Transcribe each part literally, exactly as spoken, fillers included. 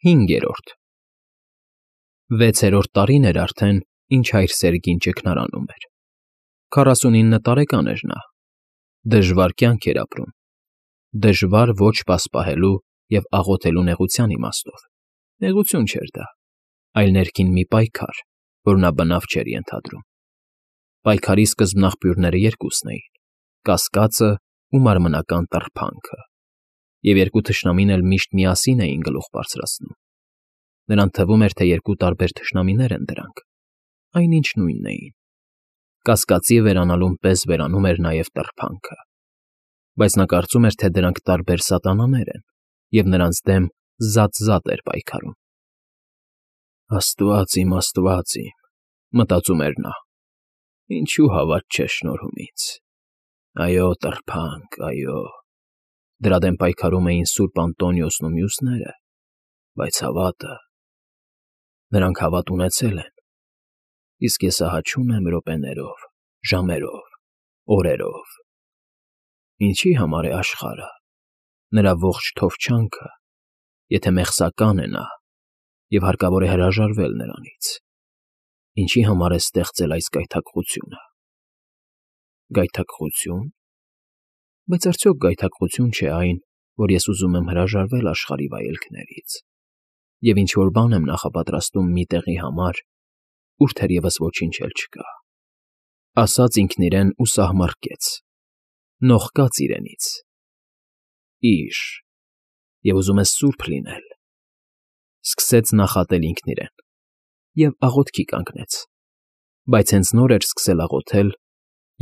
Հինգերորդ Վեցերորդ տարին էր արդեն, ինչ հայր Սերգին ճգնարանում էր. քառասունինը տարեկան էր նա, դժվար կյանք էր ապրում, դժվար ոչ պասպահելու և աղոթելու նեղության իմաստով, նեղություն չէր դա, այլ ներքին մի պայքար, որ նա բնավ չէր ենթադրում. պայքարի սկզբնաղբյուրները երկուսն էին՝ կասկածն ու մարմնական տռփանքը, և երկու թշնամին էլ միշտ միասին էին գլուխ բարձրացնում. նրան թվում էր, թե երկու տարբեր թշնամիներ են դրանք, այնինչ նույնն էին. կասկածի վերանալուն պես վերանում էր նաև տռփանքը, բայց նա կարծում էր, թե դրանք տարբեր սատանաներ են և նրանց դեմ զատ֊զատ էր պայքարում։ «Աստված իմ, Աստված իմ,֊ մտածում էր նա,֊ ինչու հավատ չես շնորհում ինձ… Այո, տռփանք, այո… Դրա դեմ պայքարում էին սուրբ Անտոնիոսն ու մյուսները, բայց հավատը… Նրանք հավատ ունեցել են, իսկ ես ահա չունեմ րոպեներով, ժամերով, օրերով… Ինչի՞ համար է աշխարհը, նրա ողջ թովչանքը, եթե մեղսական է նա և հարկավոր է հրաժարվել նրանից… Ինչի՞ համար է ստեղծել այս գայթակղությունը… Գայթակղությո՞ւն… Բայց արդյոք գայթակղություն չէ այն, որ ես ուզում եմ հրաժարվել աշխարհի վայելքներից և ինչ֊որ բան եմ նախապատրաստում մի տեղի համար, ուր թերևս ոչինչ էլ չկա…»… ասաց ինքն իրեն ու սահմռկեց, նողկաց իրենից… Ի՛ժ, և ուզում ես սուրբ լինել… Սկսեց նախատել ինքն իրեն և աղոթքի կանգնեց, բայց հենց նոր էր սկսել աղոթել,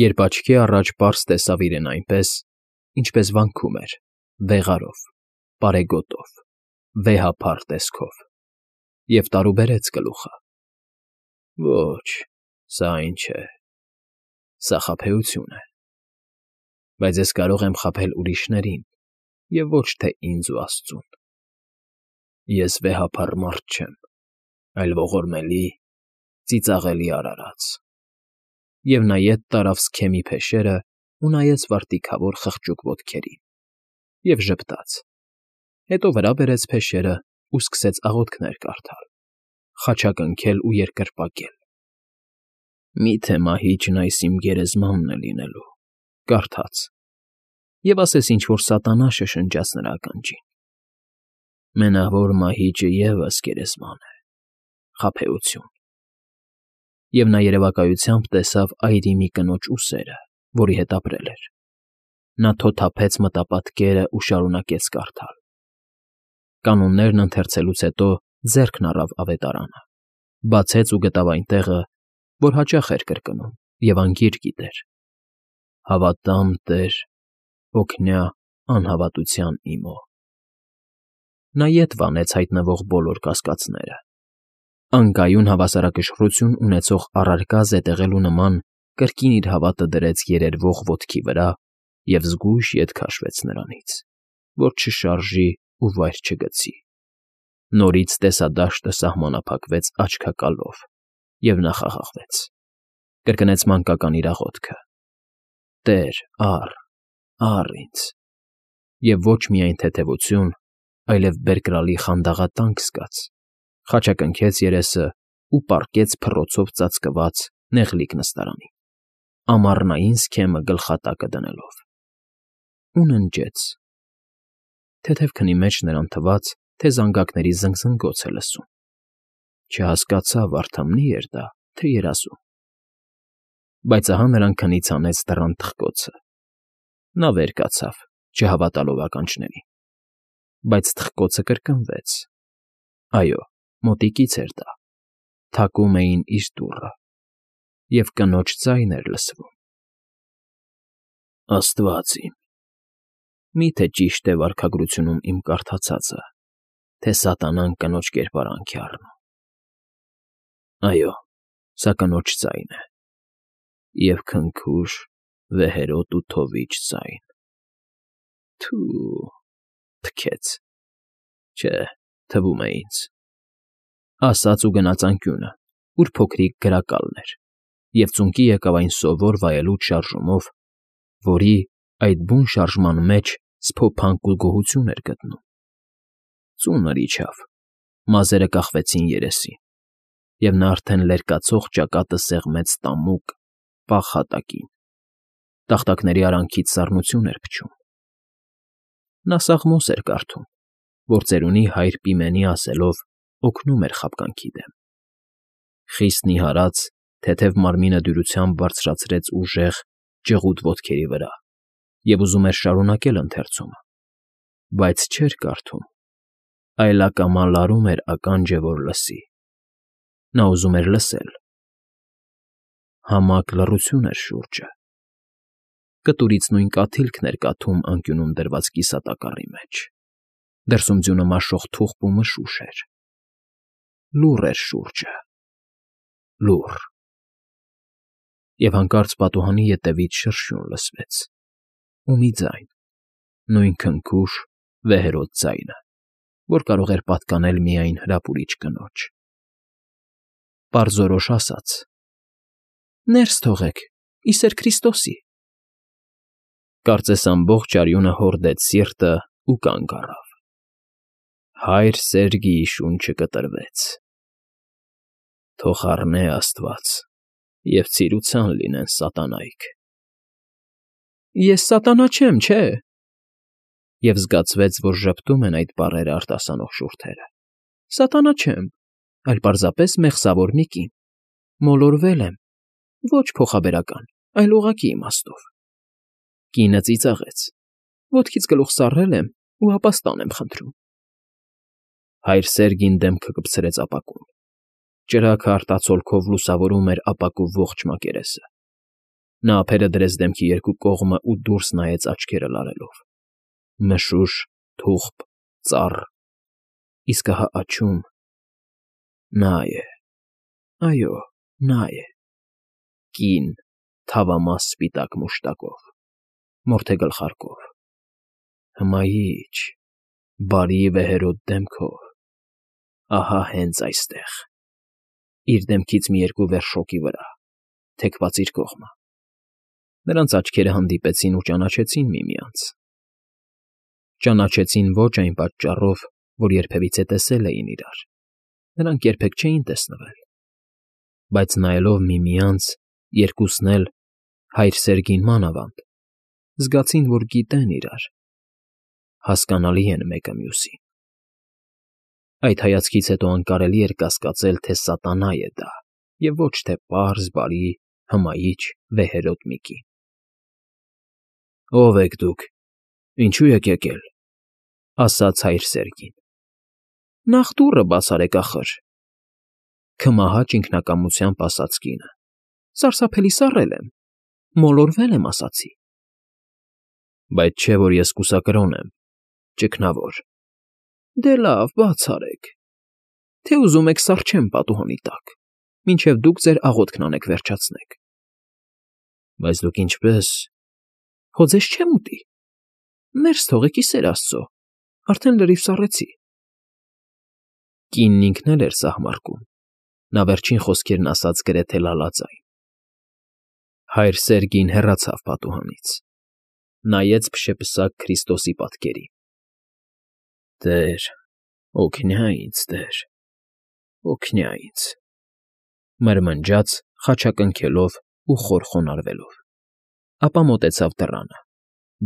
երբ աչքի առաջ պարզ տեսավ իրեն այնպես, ինչպես վանքում էր, վեղարով, պարեգոտով, վեհափառ տեսքով, և տարուբերեց գլուխը. «Ոչ, սա այն չէ… Սա խաբեություն է… Բայց ես կարող եմ խաբել ուրիշներին և ոչ թե ինձ ու աստծուն… Ես վեհափառ մարդ չեմ, այլ ողորմելի, ծիծաղելի արարած…» Եվ նա ետ տարավ սքեմի փեշերն ու նայեց վարտիքավոր խղճուկ ոտքերին և ժպտաց, հետո վրա բերեց փեշերն ու սկսեց աղոթքներ կարդալ, խաչակնքել ու երկրպագել. «Մի՞թե մահիճն այս իմ գերեզմանն է լինելու…»… կարդաց, և ասես ինչ֊որ սատանա շշնջաց նրա ականջին. «Մենավոր մահիճը ևս գերեզման է… Խաբեություն…» Եվ նա երևակայությամբ տեսավ այրի մի կնոջ ուսերը, որի հետ ապրել էր… Նա թոթափեց մտապատկերն ու շարունակեց կարդալ… Կանոններն ընթերցելուց հետո ձեռքն առավ ավետարանը, բացեց ու գտավ այն տեղը, որ հաճախ էր կրկնում և անգիր գիտեր. «Հավատամ Տեր, օգնյա անհավատության իմո…»… Նա ետ վանեց հայտնվող բոլոր կասկածները… Անկայուն հավասարակշռություն ունեցող առարկա զետեղելու նման կրկին իր հավատը դրեց երերվող ոտքի վրա և զգույշ ետ քաշվեց նրանից, որ չշարժի ու վայր չգցի… Նորից տեսադաշտը սահմանափակվեց աչքակալով, և նա խաղաղվեց… Կրկնեց մանկական իր աղոթքը. «Տե՛ր, առ, առ ինձ…» Եվ ոչ միայն թեթևություն, այլև բերկրալի խանդաղատանք զգաց, խաչակնքեց երեսն ու պառկեց փռոցով ծածկված նեղլիկ նստարանին, ամառնային սքեմը գլխատակը դնելով… Ու ննջեց… Թեթև քնի մեջ նրան թվաց, թե զանգակների զնգզնգոց է լսում… Չհասկացավ վարդամնի՞ էր դա, թե երազում… Բայց ահա նրան քնից հանեց դռան թխկոցը… Նա վեր կացավ, չհավատալով ականջներին… Բայց թխկոցը կրկնվեց… Այո, մոտիկից էր դա… Թակում էին իր դուռը… Եվ կնոջ ձայն էր լսվում… «Աստված իմ… Մի՞թե ճիշտ է վարքագրությունում իմ կարդացածը, թե սատանան կնոջ կերպարանք է առնում… Այո, սա կնոջ ձայն է… Եվ քնքուշ, վեհերոտ ու թովիչ ձայն… Թո՜ւ… Թքեց… Չէ, թվում է ինձ…»… ասաց ու գնաց անկյունը, ուր փոքրիկ գրակալն էր, և ծունկի եկավ այն սովոր վայելուչ շարժումով, որի, այդ բուն շարժման մեջ սփոփանք ու գոհություն էր գտնում… Ծունր իջավ, Մազերը կախվեցին երեսին, և նա արդեն լերկացող ճակատը սեղմեց տամուկ, պաղ հատակին, տախտակների արանքից սառնություն էր փչում։ Նա սաղմոս էր կարդում, որ ծերունի հայր Պիմենի ասելով օգնում էր խաբկանքի դեմ։ Խիստ նիհարած, թեթև մարմինը դյուրությամբ բարձրացրեց ուժեղ, ճղուտ ոտքերի վրա և ուզում էր շարունակել ընթերցումը, բայց չէր կարդում, այլ ակամա լարում էր ականջը, որ լսի։ Նա ուզում էր լսել։ Համակ լռություն էր շուրջը։ Կտուրից նույն կաթիլքն էր կաթում անկյունում դրված կիսատակառի մեջ։ Դրսում ձյունը մաշող թուխպ ու մշուշ էր։ Լուռ էր շուրջը, լուռ։ Եվ հանկարծ պատուհանի ետևից շրշյուն լսվեց, ու մի ձայն, նույն քնքուշ, վեհերաս ձայնը, որ կարող էր պատկանել միայն հրապուրիչ կնոջ։ Պարզորոշ ասաց. «Ներս թողեք, ի սեր Քրիստոսի»։ Կարծես ամբողջ արյունը հորդեց սիրտը ու կանգ առավ։ Հայր Սերգիի շունչը կտրվեց։ Թող առնե աստված, և ցիրուցան լինեն սատանայք։ «Ես սատանա չեմ, չէ՞», և զգացվեց, որ ժպտում են այդ բառերը արտասանող շուրթերը։ «Սատանա չեմ, այլ պարզապես մեղսավոր մի կին, մոլորվել եմ, ոչ փոխաբերական, այլ ուղղակի իմաստով»։ Կինը ծիծաղեց. «Ոտքից գլուխ սառել եմ ու ապաստան եմ խնդրում»։ Հայր Սերգին դեմքը կպցրեց ապակուն։ Ճրագը արտացոլքով լուսավորում էր ապակու ողջ մակերեսը։ Նա ափերը դրեց դեմքի երկու կողմը ու դուրս նայեց աչքերը լարելով։ Մշուշ, թուխպ, ծառ, իսկ ահա աջում… նա է, այո, նա է… կին, թավամաս սպիտակ մուշտակով, մորթեգլխարկով, հմայիչ, բարի վեհերաս դեմքով, ահա հենց այստեղ, իր դեմքից մի երկու վերշ շոգի վրա, թեքված իր կողմը։ Նրանց աչքերը հանդիպեցին ու ճանաչեցին միմյանց։ Ճանաչեցին ոչ այն պատճառով, որ երբևիցե տեսել էին իրար, նրանք երբեք չէին տեսնվել, բայց նայելով միմյանց, երկուսն էլ, հայր Սերգին մանավանդ, զգացին, որ գիտեն իրար, հասկանալի են մեկը մյուսին։ Այդ հայացքից հետո անկարելի էր կասկածել, թե սատանա է դա, և ոչ թե պարզ, բարի, հմայիչ, վեհերաս մի կին։ «Ո՞վ եք դուք, ինչո՞ւ եք եկել», ֊ ասաց հայր Սերգին։ «Նախ դուռը բաց արեք, ախըր», ֊ քմահաճ ինքնակամությամբ ասաց կինը։ «Սարսափելի սառել եմ, մոլորվել եմ, ասացի»։ «Բայց չէ՞ որ ես կուսակրոն եմ, ճգնավոր»։ «Դե լավ, բաց արեք, թե ուզում եք սառչեմ պատուհանի տակ, մինչև դուք ձեր աղոթքն անեք վերջացնեք»։ «Բայց դուք ինչպե՞ս»։ «Հո ձեզ չեմ ուտի։ Ներս թողեք, ի սեր աստծո, արդեն լրիվ սառեցի»։ Կինն ինքն էլ էր սահմարկում, նա վերջին խոսքերն ասաց գրեթե լալաձայն։ Հայր Սերգին հեռացավ պատուհանից, նայեց փշեպսակ Քրիստոսի պատկերին։ «Տե՛ր, օգնյա ինձ, Տեր, օգնյա ինձ», մրմնջաց խաչակնքելով ու խոր խոնարհվելով, ապա մոտեցավ դռանը,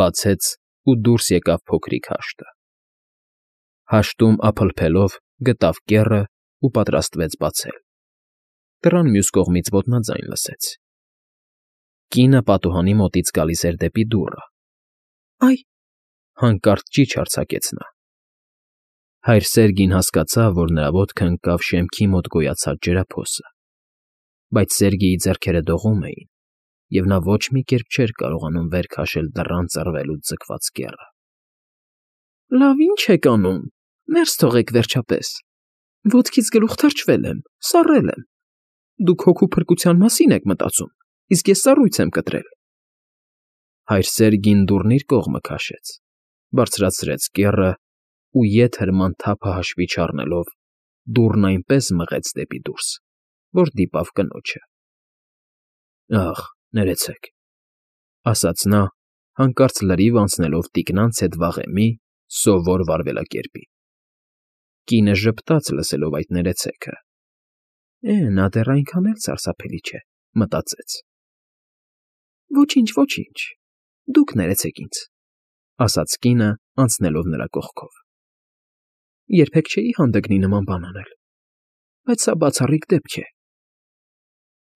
բացեց ու դուրս եկավ փոքրիկ հաշտը։ Հաշտում ափլփելով գտավ կեռը ու պատրաստվեց բացել։ Դռան մյուս կողմից ոտնաձայն լսեց։ Կինը պատուհանի մոտից գալիս էր դեպի դուռը։ «Այ…»։ Հանկարծ ճիչ արձակեց նա։ Հայր Սերգին հասկացավ, որ նրա ոտքը ընկավ շեմքի մոտ գոյացած ջրափոսը, բայց Սերգիի ձեռքերը դողում էին, և նա ոչ մի կերպ չէր կարողանում վեր քաշել դռան ծռվելուց ձգված կեռը։ «Լավ, ի՞նչ եք անում, ներս թողեք, վերջապես, ոտքից գլուխ թրջվել եմ, սառել եմ։ Դուք հոգու փրկության մասին եք մտածում, իսկ ես սառույց եմ կտրել»։ Հայր Սերգին դուռն իր կողմը քաշեց, բարձրացրեց կեռը ու ետ հրման թափը հաշվի չառնելով դուռն այնպես մղեց դեպի դուրս, որ դիպավ կնոջը։ «Ախ, ներեցեք», ֊ ասաց նա, հանկարծ լրիվ անցնելով տիկնանց հետ վաղեմի սովոր վարվելակերպի։ Կինը ժպտաց, լսելով այդ ներեցեքը։ «Է, նա դեռ այնքան էլ սարսափելի չէ», մտածեց։ «Ոչինչ, ոչինչ, դուք ներեցեք ինձ», ասաց կինը, անցնելով նրա կողքով։ «Երբեք չէի հանդգնի նման բան անել, բայց սա բացառիկ դեպք է»։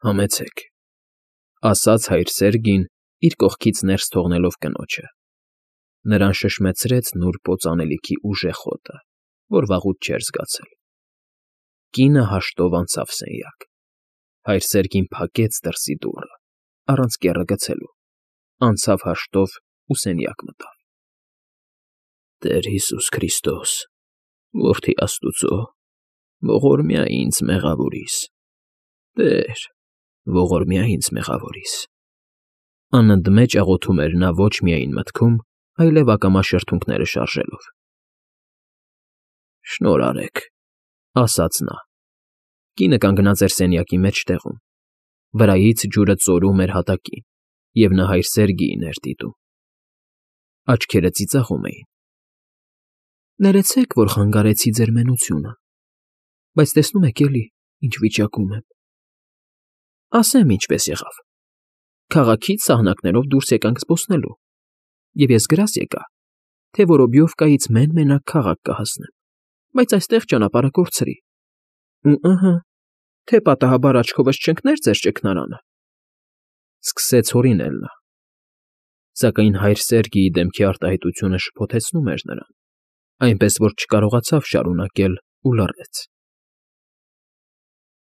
«Համեցեք», ասաց հայր Սերգին, իր կողքից ներս թողնելով կնոջը։ Նրան շշմեցրեց նուրբ օծանելիքի ուժեղ հոտը, որ վաղուց չէր զգացել։ Կինը հաշտով անցավ սենյակ։ Հայր Սերգին փակեց դրսի դուռը, առանց կեռը գցելու, անցավ հաշտով ու սենյակ մտավ։ «Տեր Հիսուս Քրիստոս, որդի Աստուծո, ողորմյա ինձ մեղավորիս, Տեր, ողորմյա ինձ մեղավորիս»։ Անընդմեջ աղոթում էր նա ոչ միայն մտքում, այլև ակամա շրթունքները շարժելով։ «Շնորհ արեք», ասաց նա։ Կինը կանգնած էր սենյակի մեջտեղում, վրայից ջուրը ծորում էր հատակին, և նա հայր Սերգիին էր դիտում։ Աչքերը ծիծաղում էին։ «Ներեցեք, որ խանգարեցի ձեր մենությունը, բայց տեսնում եք էլի, ինչ վիճակում եմ։ Ասեմ, ինչպես եղավ. քաղաքից սահնակներով դուրս եկանք զբոսնելու, և ես գրազ եկա, թե Որոբյովկայից մեն֊մենակ քաղաք կհասնեմ, բայց այստեղ ճանապարհը կորցրի։ Ու ըհը, թե պատահաբար աչքովս չընկներ ձեր ճգնարանը»։ Սկսեց հորինել նա։ Սակայն հայր Սերգիի դեմքի արտահայտությունը շփոթեցնում էր նրան, այնպես որ չկարողացավ շարունակել ու լռեց։